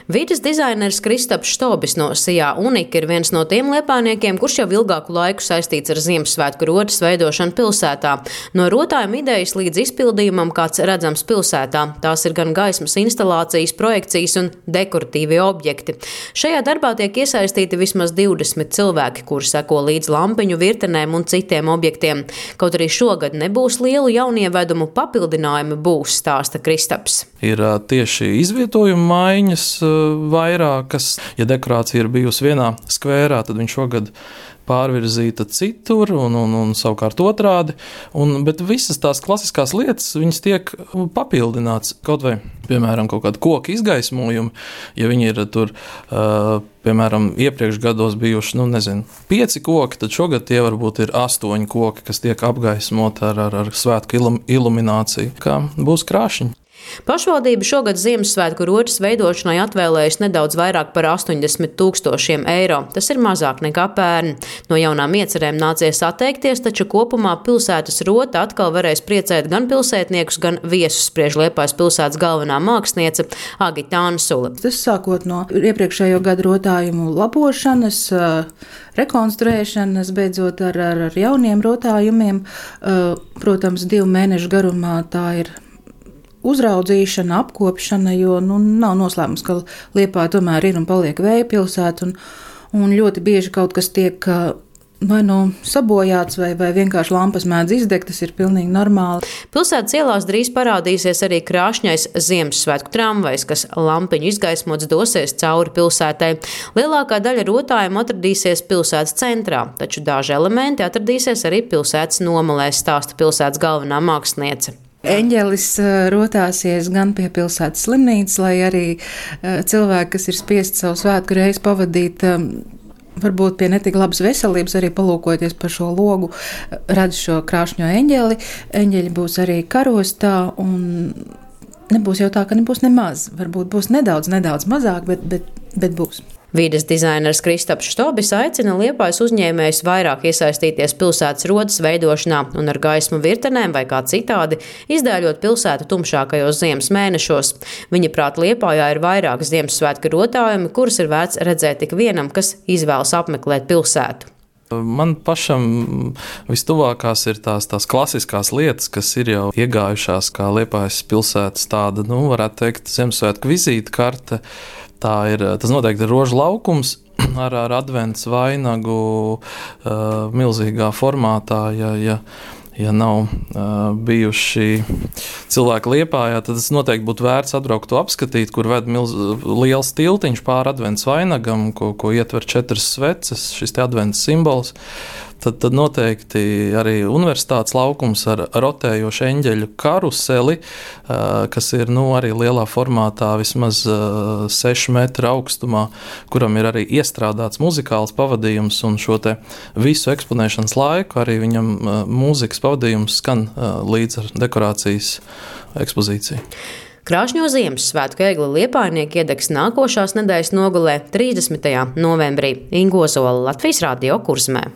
Vides dizaineris Kristaps Štobis no Sijā Unika ir viens no tiem liepājniekiem, kurš jau ilgāku laiku saistīts ar Ziemassvētku rotas veidošanu pilsētā. No rotājuma idejas līdz izpildījumam, kāds redzams pilsētā. Tās ir gan gaismas instalācijas, projekcijas un dekoratīvi objekti. Šajā darbā tiek iesaistīti vismaz 20 cilvēki, kuri seko līdz lampiņu virtenēm un citiem objektiem. Kaut arī šogad nebūs lielu jaunievedumu, papildinājumi būs, stāsta Kristaps. Ir tieši izvietojuma maiņas vairākas. Ja dekorācija ir bijusi vienā skvērā, tad viņš šogad pārvirzīta citur un savukārt otrādi. Bet visas tās klasiskās lietas, viņas tiek papildināts. Kaut vai, piemēram, kaut kāda koka izgaismojumi, ja viņi ir tur, piemēram, iepriekš gados bijuši, 5 koki, tad šogad tie varbūt ir 8 koki, kas tiek apgaismoti ar svētku ilumināciju, kā būs krāšņi. Pašvaldība šogad Ziemassvētku rotas veidošanai atvēlējusi nedaudz vairāk par 80 000 eiro. Tas ir mazāk nekā pērn. No jaunām iecerēm nācies atteikties, taču kopumā pilsētas rota atkal varēs priecēt gan pilsētniekus, gan viesus, spriež Liepājas pilsētas galvenā māksliniece Agita Ansule. Tas sākot no iepriekšējo gadu rotājumu labošanas, rekonstruēšanas, beidzot ar jauniem rotājumiem. Protams, 2 mēnešu garumā tā ir uzraudzīšana, apkopšana, jo nav noslēpums, ka Liepāja tomēr ir un paliek vēja pilsēta, un ļoti bieži kaut kas tiek vai sabojāts, vai vienkārši lampas mēdz izdegt, tas ir pilnīgi normāli. Pilsētas ielās drīz parādīsies arī krāšņais Ziemassvētku tramvajs, kas lampiņu izgaismots dosies cauri pilsētai. Lielākā daļa rotājumu atradīsies pilsētas centrā, taču daži elementi atradīsies arī pilsētas nomalēs, stāsta pilsētas galvenā māksliniece. Eņģelis rotāsies gan pie pilsētas slimnīcas, lai arī cilvēki, kas ir spiesti savu svētku reizi pavadīt, varbūt pie netik labas veselības, arī palūkojoties par šo logu, redz šo krāšņo eņģeli. Eņģeļi būs arī karostā, un nebūs jau tā, ka nebūs nemaz. Varbūt būs nedaudz mazāk, bet būs. Vides dizaineris Kristaps Štobis aicina Liepājas uzņēmējus vairāk iesaistīties pilsētas rotas veidošanā un ar gaismu virtenēm vai kā citādi izdēļot pilsētu tumšākajos ziemas mēnešos. Viņa prāt Liepājā ir vairāk Ziemassvētku rotājumi, kurus ir vērts redzēt tik vienam, kas izvēlas apmeklēt pilsētu. Man pašam vistuvākās ir tās klasiskās lietas, kas ir jau iegājušās kā Liepājas pilsētas tāda, varētu teikt, Ziemassvētku vizītkarte. Tas noteikti ir rožu laukums ar advents vainagu milzīgā formātā. Ja nav bijuši cilvēki Liepājā, tad tas noteikti būtu vērts atbraukt to apskatīt, kur ved liels tiltiņš pāri advents vainagam, ko ietver 4 sveces, šis te advents simbols. Tad noteikti arī universitātes laukums ar rotējošu eņģeļu karuseli, kas ir arī lielā formātā, vismaz 6 metru augstumā, kuram ir arī iestrādāts muzikāls pavadījums, un šo te visu eksponēšanas laiku arī viņam mūzikas pavadījums skan līdz ar dekorācijas ekspozīciju. Krāšņo Ziemassvētku egli liepājnieki iedegs nākošās nedēļas nogalē 30. novembrī. Inga Ozola, Latvijas Radio Kurzmē.